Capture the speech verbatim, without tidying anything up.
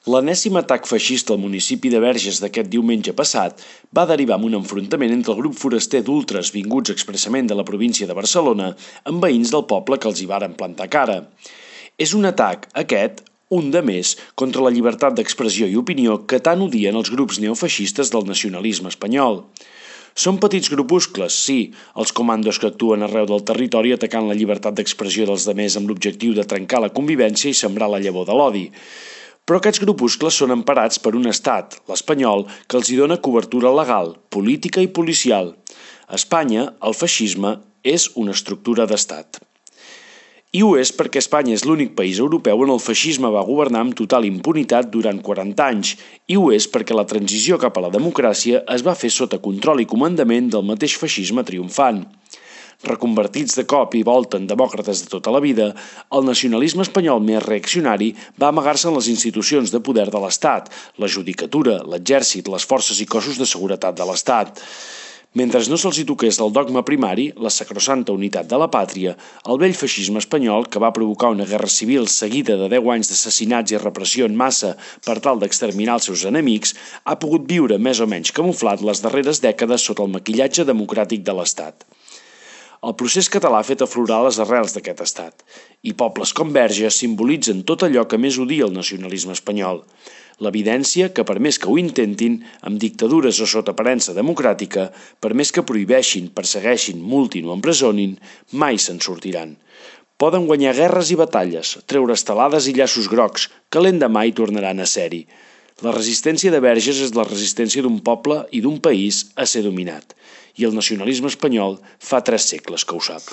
L'enèsim atac feixista al municipi de Verges d'aquest diumenge passat va derivar en un enfrontament entre el grup foraster d'ultres vinguts expressament de la província de Barcelona amb veïns del poble que els hi varen plantar cara. És un atac, aquest, un de més, contra la llibertat d'expressió i opinió que tant odien els grups neofeixistes del nacionalisme espanyol. Són petits grupuscles, sí, els comandos que actuen arreu del territori atacant la llibertat d'expressió dels demés amb l'objectiu de trencar la convivència i sembrar la llavor de l'odi. Però aquests grupuscles són emparats per un estat, l'espanyol, que els hi dona cobertura legal, política i policial. A Espanya, el feixisme és una estructura d'estat. I ho és perquè Espanya és l'únic país europeu on el feixisme va governar amb total impunitat durant quaranta anys, i ho és perquè la transició cap a la democràcia es va fer sota control i comandament del mateix feixisme triomfant. Reconvertits de cop i volta en demòcrates de tota la vida, el nacionalisme espanyol més reaccionari va amagar-se en les institucions de poder de l'Estat, la judicatura, l'exèrcit, les forces i cossos de seguretat de l'Estat. Mentre no se'ls hi toqués el dogma primari, la sacrosanta unitat de la pàtria, el vell feixisme espanyol, que va provocar una guerra civil seguida de deu anys d'assassinats i repressió en massa per tal d'exterminar els seus enemics, ha pogut viure més o menys camuflat les darreres dècades sota el maquillatge democràtic de l'Estat. El procés català ha fet aflorar les arrels d'aquest estat, i pobles com Verges simbolitzen tot allò que més odia el nacionalisme espanyol. L'evidència que, per més que ho intentin, amb dictadures o sota aparença democràtica, per més que prohibeixin, persegueixin, multin o empresonin, mai se'n sortiran. Poden guanyar guerres i batalles, treure estelades i llaços grocs, que l'endemà hi tornaran a ser-hi. La resistència de Verges és la resistència d'un poble i d'un país a ser dominat, i el nacionalisme espanyol fa tres segles que ho sap.